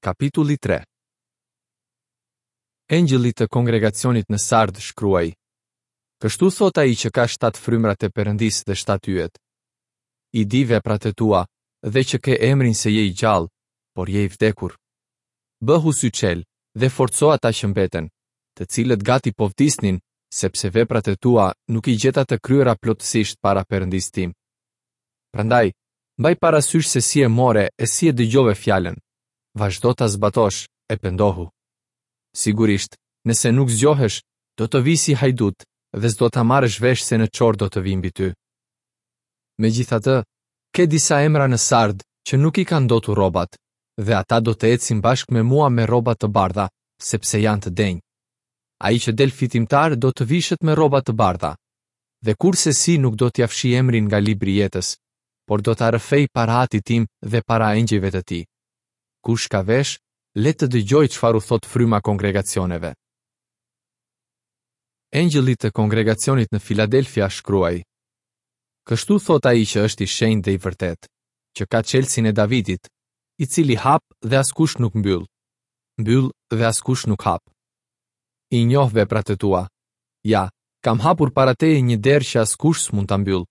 Kapitulli 3 Engjëllit të kongregacionit në Sardë shkruaj: Kështu thotë ai që ka shtatë frymrat e Perëndisë dhe shtatë yjet. I di veprat e tua dhe që ke emrin se je i gjallë, por je i vdekur. Bëhu syçelë dhe forco ata që mbeten, të cilët gati po vdisnin, sepse veprat e tua nuk i gjeta të kryera plotësisht para Perëndisë tim. Prandaj, mbaj parasysh se si e more e si e dëgjove fjalën. Vazhdo ta zbatosh e pendohu. Sigurisht, nëse nuk zgjohesh, do të vij si hajdut dhe s'do ta marrësh vesh se në ç'orë do të vij mbi ty. Megjithatë, ke disa emra në Sardë që nuk i kanë ndotur rrobat, dhe ata do të ecin bashkë me mua me rroba të bardha, sepse janë të denjë. Ai që del fitimtar do të vishet me rroba të bardha, dhe kurrsesi nuk do t'ia fshij emrin nga libri i jetës, por do ta rrëfej para Atit tim dhe para engjëjve të tij. Kush ka vesh, le të dëgjojë çfarë u thotë Fryma kongregacioneve. Engjëllit të kongregacionit në Filadelfia shkruaj: Kështu thotë ai që është i shenjtë dhe i vërtetë, që ka çelësin e Davidit, i cili hap dhe askush nuk mbyll, mbyll dhe askush nuk hap. I njoh veprat e tua. Ja, kam hapur para teje një derë që askush s'mund ta mbyllë,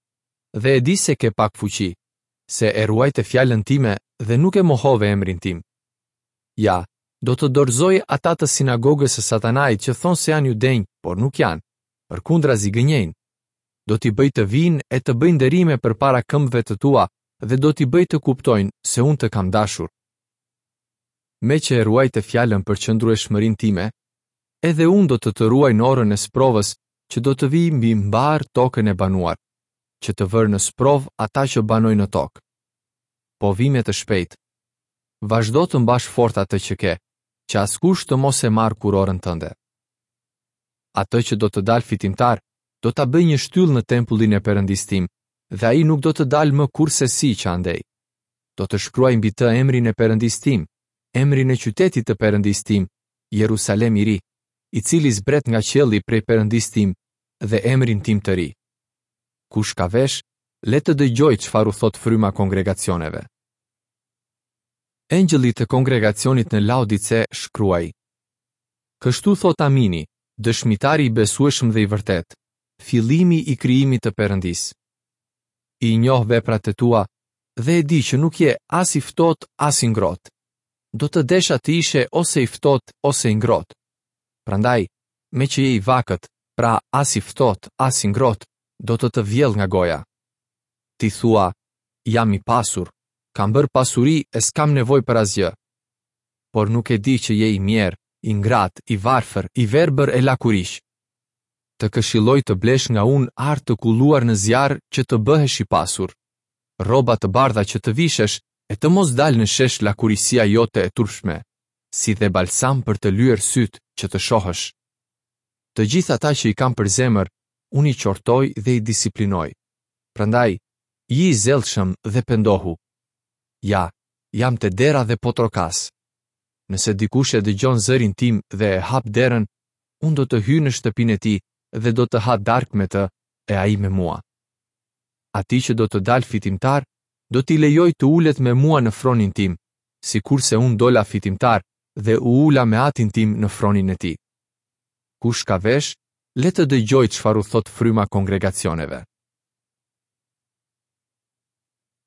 dhe e di se ke pak fuqi, se e ruajte fjalën time dhe nuk e mohove emrin tim. Ja, do të dorëzoj ata të sinagogës së Satanait që thonë se janë judenj, por nuk janë, përkundrazi gënjejnë. Do t'i bëj të vijnë e të bëjnë nderime përpara këmbëve të tua dhe do t'i bëj të kuptojnë se unë të kam dashur. Meqë e ruajte fjalën për qëndrueshmërinë time, edhe unë do të të ruaj në orën e sprovës që do të vijë mbi mbarë tokën e banuar, që të vërë në sprovë ata që banojnë në tokë. Po vij me të shpejtë. Vazhdo të mbash fort atë që ke, që askush të mos e marrë kurorën tënde. Atë që do të dalë fitimtar, do ta bëj një shtyllë në tempullin e Perëndisë tim, dhe ai nuk do të dalë më kurrsesi që andej. Do të shkruaj mbi të emrin e Perëndisë tim, emrin e qytetit të Perëndisë tim, Jerusalem i ri, i cili zbret nga qielli prej Perëndisë tim dhe emrin tim të ri. Kush ka vesh, le të dëgjojë çfarë u thotë Fryma kongregacioneve. Engjëllit të kongregacionit në Laodice shkruaj: Kështu thotë Amini, dëshmitari i besueshëm dhe i vërtetë, fillimi i krijimit të Perëndisë. I njoh veprat e tua dhe e di që nuk je as i ftohtë as i ngrohtë. Do të desha të ishe ose i ftohtë ose i ngrohtë. Prandaj, meqë je i vakët, pra as i ftohtë, as i ngrohtë, do të të vjell nga goja. Ti thua, jam i pasur, kam bërë pasuri e s'kam nevojë për asgjë. Por nuk e di që je i mjerë, i ngratë, i varfër, i verbër e lakuriq. Të këshilloj të blesh nga unë ar të kulluar në zjarr që të bëhesh i pasur, rroba të bardha që të vishesh e të mos dalë në shesh lakuriqësia jote e turpshme, si dhe balsam për të lyer sytë që të shohësh. Të gjithë ata që i kam për zemër, unë i qortoj dhe i disiplinoj. Prandaj, ji i zellshëm dhe pendohu. Ja, jam te dera dhe po trokas. Nëse dikush e dëgjon zërin tim dhe e hap derën, unë do të hyj në shtëpinë e tij dhe do të ha darkë me të e ai me mua. Atij që do të dalë fitimtar, do t'i lejoj të ulet me mua në fronin tim, sikurse unë dola fitimtar dhe u ula me atin tim në fronin e tij. Kush ka vesh, le të dëgjojë çfarë u thotë fryma kongregacioneve.